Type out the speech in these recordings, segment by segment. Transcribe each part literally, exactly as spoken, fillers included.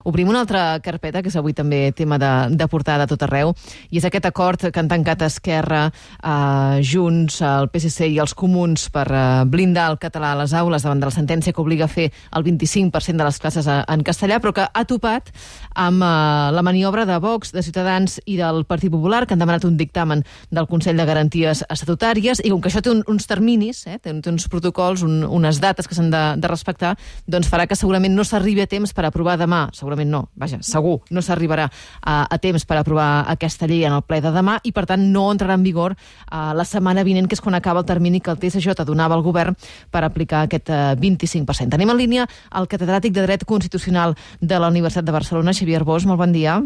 Obrim una altra carpeta, que és avui també tema de, de portada a tot arreu, i és aquest acord que han tancat Esquerra, eh, Junts, el P S C i els Comuns per eh, blindar el català a les aules davant de la sentència que obliga a fer el vint-i-cinc per cent de les classes a, en castellà, però que ha topat amb eh, la maniobra de Vox, de Ciutadans i del Partit Popular, que han demanat un dictamen del Consell de Garanties Estatutàries, i com que això té un, uns terminis, eh, té, té uns protocols, un, unes dates que s'han de, de respectar, doncs farà que segurament no s'arribi a temps per aprovar demà, segurament no, vaja, segur, no s'arribarà a, a temps per aprovar aquesta llei en el ple de demà i, per tant, no entrarà en vigor uh, la setmana vinent, que és quan acaba el termini que el T S J donava al govern per aplicar aquest uh, vint-i-cinc per cent. Tenim en línia el catedràtic de Dret Constitucional de la Universitat de Barcelona, Xavier Arbós. Molt bon dia.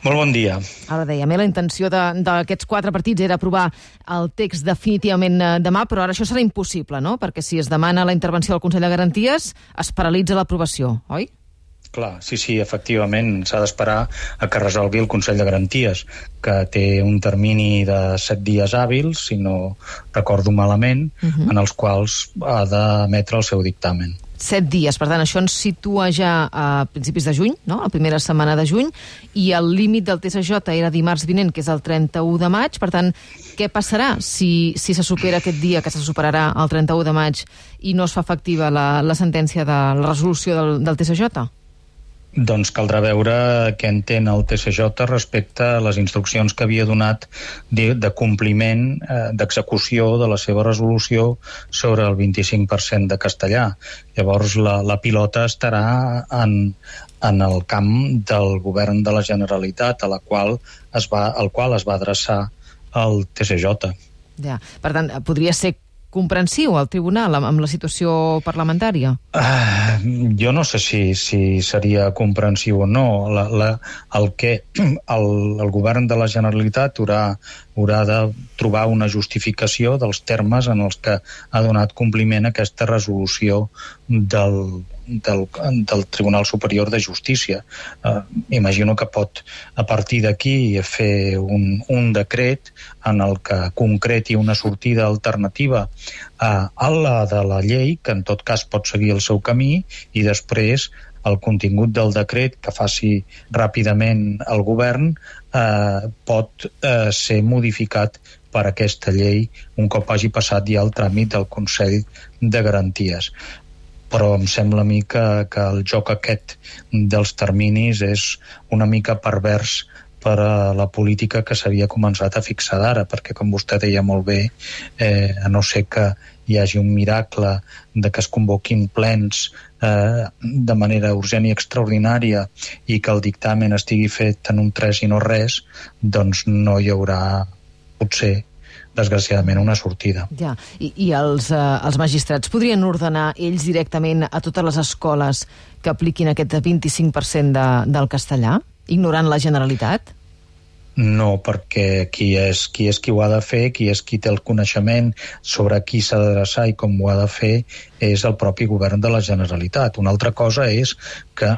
Molt bon dia. Ara dèiem, eh, la intenció d'aquests quatre partits era aprovar el text definitivament eh, demà, però ara això serà impossible, no? Perquè si es demana la intervenció del Consell de Garanties, es paralitza l'aprovació, oi? Clar, sí, sí, efectivament, s'ha d'esperar a que resolgui el Consell de Garanties, que té un termini de set dies hàbils, si no recordo malament, uh-huh. en els quals ha d'emetre el seu dictamen. Set dies, per tant, això ens situa ja a principis de juny, no?, la primera setmana de juny, i el límit del T S J era dimarts vinent, que és el trenta-u de maig. Per tant, què passarà si, si se supera aquest dia, que se superarà el trenta-u de maig, i no es fa efectiva la, la sentència de la resolució del, del T S J? Doncs caldrà veure què entén el T S J respecte a les instruccions que havia donat de, de compliment, eh, d'execució de la seva resolució sobre el vint-i-cinc per cent de castellà. Llavors la, la pilota estarà en, en el camp del govern de la Generalitat, a la qual es va, al qual es va adreçar el T S J. Ja. Per tant, podria ser comprensiu al tribunal amb, amb la situació parlamentària? Uh, jo no sé si, si seria comprensiu o no. La, la, el que el, el govern de la Generalitat haurà, haurà de trobar una justificació dels termes en els que ha donat compliment a aquesta resolució del, del, del Tribunal Superior de Justícia. Uh, imagino que pot, a partir d'aquí, fer un, un decret en el que concreti una sortida alternativa a, a la de la llei, que en tot cas pot seguir el seu camí, i després el contingut del decret que faci ràpidament el govern eh, pot eh, ser modificat per aquesta llei un cop hagi passat ja el tràmit del Consell de Garanties. Però em sembla a mi que, que el joc aquest dels terminis és una mica pervers per a la política que s'havia començat a fixar d'ara, perquè, com vostè deia molt bé, eh, a no ser que hi hagi un miracle de que es convoquin plens eh, de manera urgent i extraordinària i que el dictamen estigui fet en un tres i no res, doncs no hi haurà, potser, desgraciadament, una sortida. Ja, i, i els, eh, els magistrats podrien ordenar ells directament a totes les escoles que apliquin aquest vint-i-cinc per cent de, del castellà, ignorant la Generalitat? No, perquè qui és, qui és qui ho ha de fer, qui és qui té el coneixement sobre qui s'ha d'adreçar i com ho ha de fer, és el propi govern de la Generalitat. Una altra cosa és que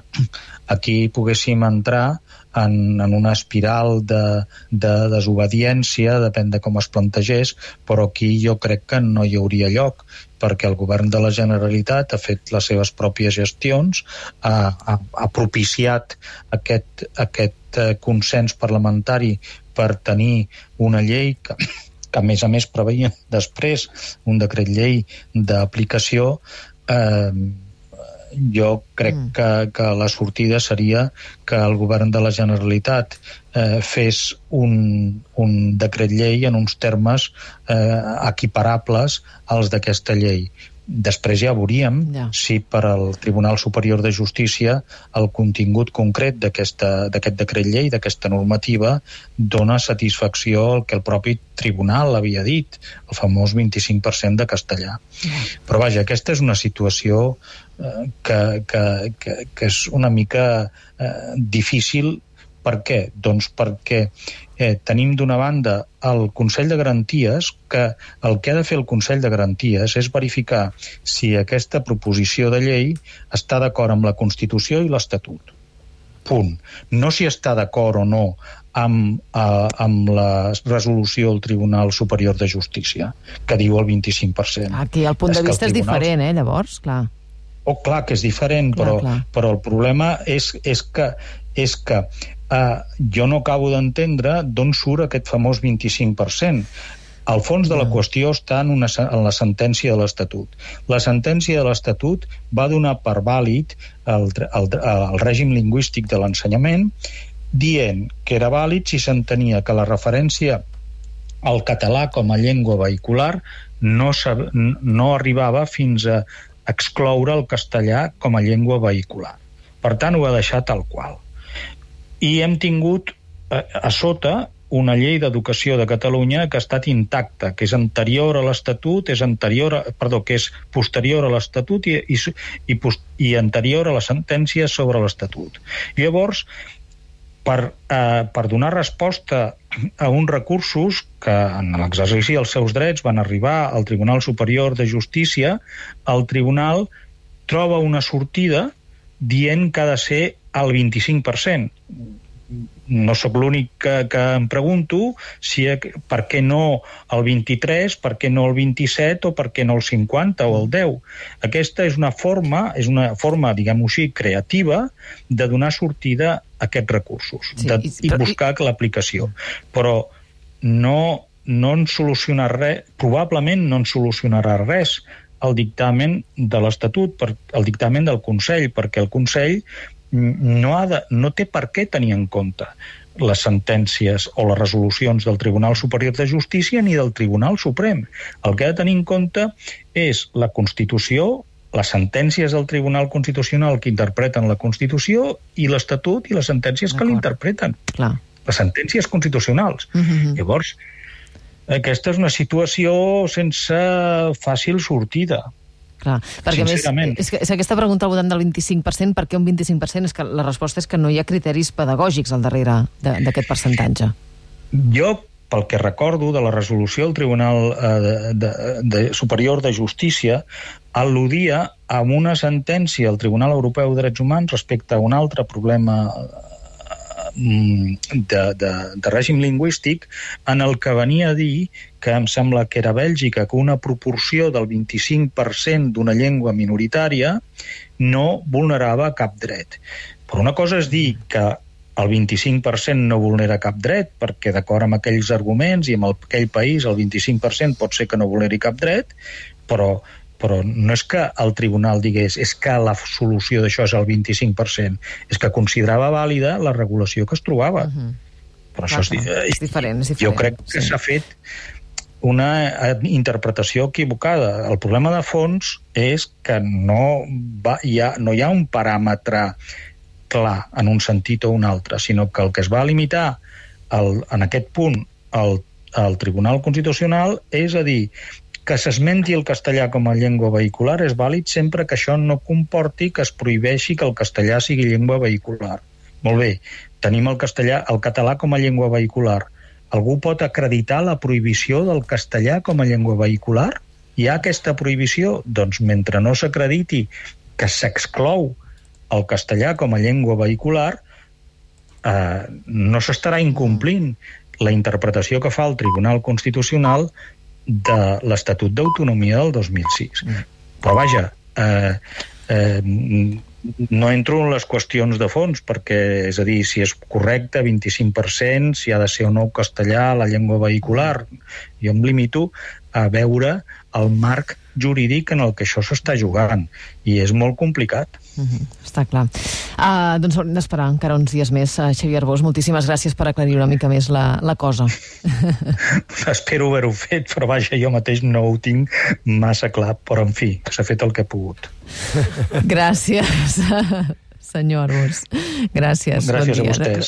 aquí poguéssim entrar en, en una espiral de, de desobediència, depèn de com es plantegés, però aquí jo crec que no hi hauria lloc, perquè el govern de la Generalitat ha fet les seves pròpies gestions, ha, ha, ha propiciat aquest, aquest consens parlamentari per tenir una llei que, que a més a més preveia després un decret llei d'aplicació. eh, jo crec mm. que, que la sortida seria que el govern de la Generalitat eh, fes un, un decret llei en uns termes eh, equiparables als d'aquesta llei. Després ja veuríem ja. si per al Tribunal Superior de Justícia el contingut concret d'aquest decret llei, d'aquesta normativa, dona satisfacció al que el propi tribunal havia dit, el famós vint-i-cinc per cent de castellà. Ja. Però vaja, aquesta és una situació eh, que, que, que, que és una mica eh, difícil. Per què? Doncs perquè eh, tenim d'una banda el Consell de Garanties, que el que ha de fer el Consell de Garanties és verificar si aquesta proposició de llei està d'acord amb la Constitució i l'Estatut. Punt. No si està d'acord o no amb, eh, amb la resolució del Tribunal Superior de Justícia, que diu el vint-i-cinc per cent. Aquí el punt de vista és diferent, eh, llavors, clar. Oh, clar que és diferent, clar, però, clar. però el problema és, és que, és que uh, jo no acabo d'entendre d'on surt aquest famós vint-i-cinc per cent. El fons de la qüestió està en, una, en la sentència de l'Estatut. La sentència de l'Estatut va donar per vàlid el, el, el règim lingüístic de l'ensenyament, dient que era vàlid si s'entenia que la referència al català com a llengua vehicular no, no arribava fins a excloure el castellà com a llengua vehicular. Per tant, ho va deixar tal qual. I hem tingut a, a sota una llei d'educació de Catalunya que ha estat intacta, que és anterior a l'Estatut, és anterior a, perdó, que és posterior a l'Estatut i, i, i, i anterior a la sentència sobre l'Estatut. Llavors, per, eh, per donar resposta a uns recursos que en l'exercici dels seus drets van arribar al Tribunal Superior de Justícia, el Tribunal troba una sortida dient que ha de ser el vint-i-cinc per cent. No sóc l'únic que, que em pregunto si, per què no el vint-i-tres, per què no el vint-i-set o per què no el cinquanta o el deu. Aquesta és una forma, és una forma, diguem-ho així, creativa de donar sortida a aquests recursos, sí, de, i, i buscar i... l'aplicació. Però no, no en solucionarà res, probablement no en solucionarà res el dictamen de l'Estatut, el dictamen del Consell, perquè el Consell no, ha de, no té per què tenir en compte les sentències o les resolucions del Tribunal Superior de Justícia ni del Tribunal Suprem. El que ha de tenir en compte és la Constitució, les sentències del Tribunal Constitucional que interpreten la Constitució i l'Estatut i les sentències que l'interpreten. Les sentències constitucionals. Uh-huh. Llavors, aquesta és una situació sense fàcil sortida. Clar, perquè a més, és, que, és aquesta pregunta al voltant del vint-i-cinc per cent, per què un vint-i-cinc per cent? És que la resposta és que no hi ha criteris pedagògics al darrere d'aquest percentatge. Jo, pel que recordo de la resolució del Tribunal eh, de, de, de Superior de Justícia, al·ludia a una sentència del Tribunal Europeu de Drets Humans respecte a un altre problema de, de, de règim lingüístic, en el que venia a dir que em sembla que era Bèlgica, que una proporció del vint-i-cinc per cent d'una llengua minoritària no vulnerava cap dret. Però una cosa és dir que el vint-i-cinc per cent no vulnera cap dret, perquè d'acord amb aquells arguments i amb aquell país el vint-i-cinc per cent pot ser que no vulneri cap dret, però però no és que el tribunal digués és que la solució d'això és el vint-i-cinc per cent, és que considerava vàlida la regulació que es trobava. Uh-huh. Però clar, això és, clar. és diferent, és diferent. Jo crec que sí. S'ha fet una interpretació equivocada. El problema de fons és que no, va, hi ha, no hi ha un paràmetre clar en un sentit o un altre, sinó que el que es va limitar el, en aquest punt al, al Tribunal Constitucional és a dir que s'esmenti el castellà com a llengua vehicular és vàlid sempre que això no comporti que es prohibeixi que el castellà sigui llengua vehicular. Molt bé, tenim el castellà, el català com a llengua vehicular. Algú pot acreditar la prohibició del castellà com a llengua vehicular? Hi ha aquesta prohibició? Doncs mentre no s'acrediti que s'exclou el castellà com a llengua vehicular, eh, no s'estarà incomplint la interpretació que fa el Tribunal Constitucional de l'Estatut d'Autonomia del dos mil sis. Mm. Però vaja, eh, eh, no entro en les qüestions de fons, perquè, és a dir, si és correcte, vint-i-cinc per cent, si ha de ser o no castellà la llengua vehicular. Jo em limito a veure el marc jurídic en el que això s'està jugant, i és molt complicat. Uh-huh, està clar. Uh, doncs haurem d'esperar encara uns dies més. Uh, Xavier Arbós, moltíssimes gràcies per aclarir una mica més la, la cosa. Espero haver-ho fet, però vaja, jo mateix no ho tinc massa clar, però en fi, s'ha fet el que he pogut. Gràcies, senyor Arbós. Gràcies. Gràcies bon dia. a vostès.